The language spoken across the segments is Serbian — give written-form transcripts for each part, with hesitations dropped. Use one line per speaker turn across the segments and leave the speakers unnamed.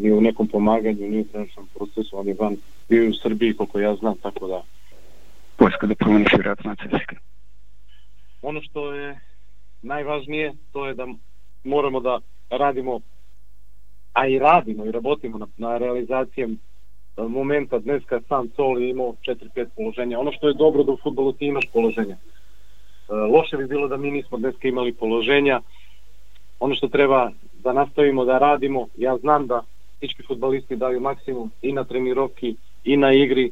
ni u nekom pomaganju, ni u trenažnom procesu, ali van bio u Srbiji koliko ja znam, tako da.
Vojska da promeniš vjerojatno na CSKA.
Ono što je najvažnije, to je da moramo da radimo, a i radimo i rabotimo na realizacijem momenta. Dneska sam Coli imao 4-5 položenja. Ono što je dobro da u fudbalu ti imaš položenja. Loše bi bilo da mi nismo dneska imali položenja. Ono što treba da nastavimo da radimo, ja znam da всички fudbalisti daju maksimum i na trenirovki i na igri.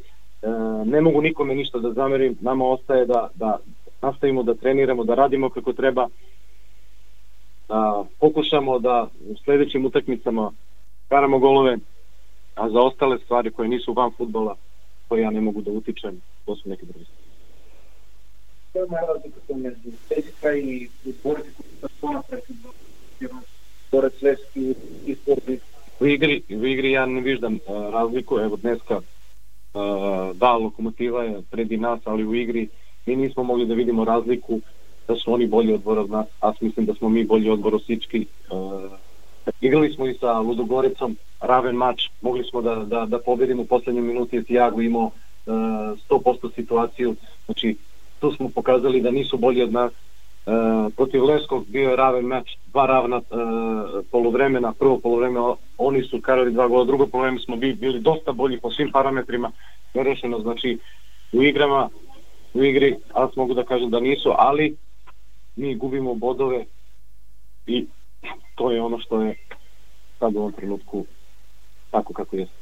Ne mogu nikome ništa da zamerim, nama ostaje da nastavimo da treniramo, da radimo kako treba, da pokušamo da u sljedećim utakmicama karamo golove, a za ostale stvari koje nisu van fudbala, koje ja ne mogu da utičem, to su neke druge stvari.
Koja je razlika među CSKA i borci koji su napraviti Borac Levski i Sporting?
U igri ja ne viđam razliku, evo dneska da, Lokomotiva je predi nas, ali u igri mi nismo mogli da vidimo razliku da su oni bolji odbor od nas, a mislim da smo mi bolji odbor od всички. Igrali smo i sa Ludogorecom, raven mač, mogli smo da pobedimo u poslednjoj minuti, jer Tiago imao 100% situaciju, znači tu smo pokazali da nisu bolji od nas. Protiv Levskog bio je raven mač, 2 ravna poluvremena, prvo poluvreme oni su karali 2 gola, drugo poluvreme smo bili dosta bolji po svim parametrima, nerešeno, znači u igri, ali mogu da kažem da nisu, ali mi gubimo bodove i to je ono što je sad u ovom trenutku tako kako jeste.